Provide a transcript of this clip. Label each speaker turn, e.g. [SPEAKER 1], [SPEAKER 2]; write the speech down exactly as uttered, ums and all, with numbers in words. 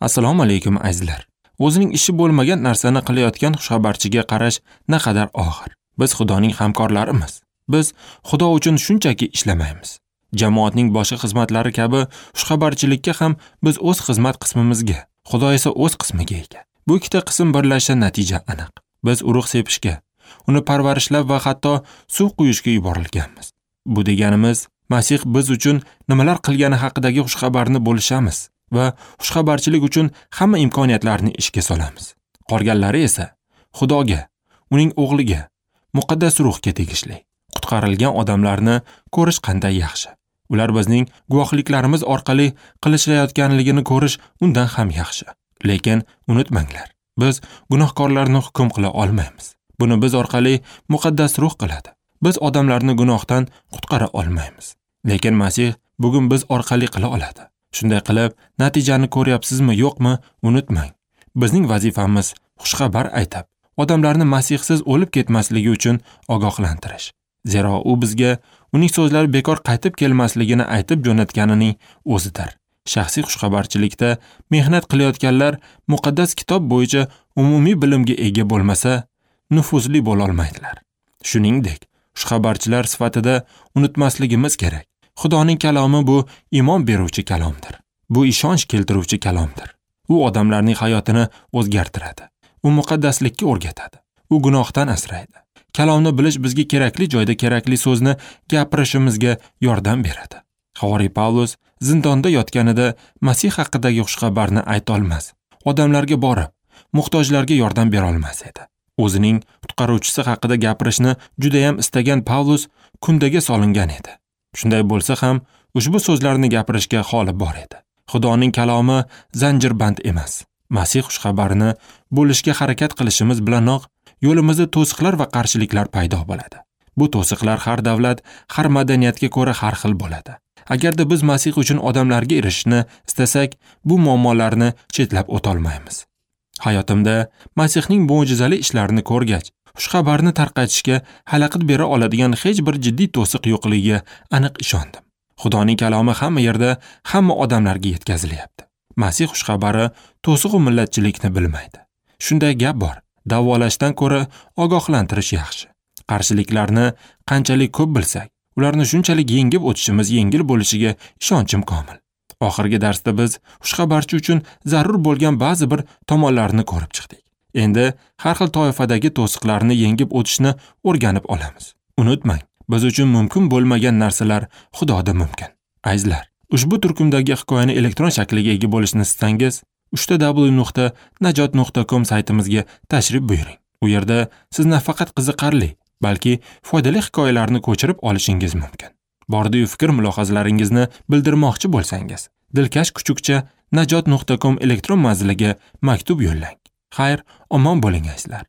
[SPEAKER 1] Assalomu alaykum azizlar. O'zining ishi bo'lmagan narsani qilayotgan xushxabarchiga qarash naqadar og'ir. Biz Xudoning hamkorlarimiz. Biz Xudo uchun shunchaki ishlamaymiz. Jamoatning boshqa xizmatlari kabi xushxabarchilikka ham biz o'z xizmat qismimizga, Xudo esa o'z qismiga ega. Bu ikkita qism birlashsa natija aniq. Biz urug' sepishga, uni parvarishlab va hatto suv quyishga yuborilganmiz. Bu deganimiz, Masih biz uchun nimalar qilgani haqidagi xushxabarni bo'lishamiz va xushxabarchilik uchun hamma imkoniyatlarni ishga solamiz. Qolganlari esa Xudoga, uning o'g'liga, muqaddas ruhga tegishli. Qutqarilgan odamlarni ko'rish qanday yaxshi. Ular bizning guvohliklarimiz orqali qilishlayotganligini ko'rish undan ham yaxshi. Lekin unutmanglar, biz gunohkorlarni hukm qila olmaymiz. Buni biz orqali muqaddas ruh qiladi. Biz odamlarni gunohdan qutqara olmaymiz. Lekin Masih bugun biz orqali qila oladi. Shunday qilib, natijani ko'ryapsizmi, yo'qmi, unutmang. Bizning vazifamiz xushxabar aytib, odamlarni Masihsiz o'lib ketmasligi uchun ogohlantirish. Zero u bizga uning so'zlari bekor qaytib kelmasligini aytib jo'natganining o'zidir. Shaxsiy xushxabarchilikda mehnat qilayotganlar muqaddas kitob bo'yicha umumiy bilimga ega bo'lmasa, nufuzli bo'la olmaydilar. Shuningdek, xushxabarchilar sifatida unutmasligimiz kerak. Xudoning kalomi bu iymon beruvchi kalomdir. Bu ishonch keltiruvchi kalomdir. U odamlarning hayotini o'zgartiradi. U muqaddaslikka o'rgatadi. U gunohdan asraydi. Kalomni bilish bizga kerakli joyda kerakli so'zni gapirishimizga yordam beradi. Havoriy Pavlus zindonda yotganida Masih haqidagi xushxabarni ayta olmas, odamlarga borib, muhtojlarga yordam bera olmas edi. O'zining qutqaruvchisi haqida gapirishni juda ham istagan Pavlus kundaga solingan edi. Shunday bo'lsa ham, ushbu so'zlarni gapirishga holi bor edi. Xudoning kalomi zanjirband emas. Masih xushxabarini bo'lishga harakat qilishimiz bilanoq yo'limizda to'siqlar va qarshiliklar paydo bo'ladi. Bu to'siqlar har davlat, har madaniyatga ko'ra har xil bo'ladi. Agarda biz Masih uchun odamlarga erishishni istasak, bu muammolarni chetlab o'ta olmaymiz. Hayotimda Masihning mo'jizali ishlarini ko'rgach, xushxabarni tarqatishga xalaqit bera oladigan hech bir jiddiy to'siq yo'qligiga aniq ishondim. Xudoning kalomi hamma yerda, hamma odamlarga yetkazilyapti. Masih xushxabari to'siq va millatchilikni bilmaydi. Shunday gap bor: davolashdan ko'ra ogohlantirish yaxshi. Qarshiliklarni qanchalik ko'p bilsak, ularni shunchalik yengib o'tishimiz yengil bo'lishiga ishonchim komil. Oxirgi darsda biz xushxabarchi uchun zarur bo'lgan ba'zi bir tomonlarni ko'rib chiqdik. Endi har xil toifadagi to'siqlarni yengib o'tishni o'rganib olamiz. Unutmang, biz uchun mumkin bo'lmagan narsalar Xudoda mumkin. Azizlar, ushbu turkumdagi hikoyani elektron shakliga ega bo'lishni istasangiz, uchta w nuqta najot nuqta com saytimizga tashrif buyuring. U yerda siz nafaqat qiziqarli, balki foydali hikoyalarni ko'chirib olishingiz mumkin. Bordi-yu fikr mulohazalaringizni bildirmoqchi bo'lsangiz, dilkash kuchukcha najot nuqta com elektron manziliga maktub yo'llang. Xayr, omon bo'ling azizlar.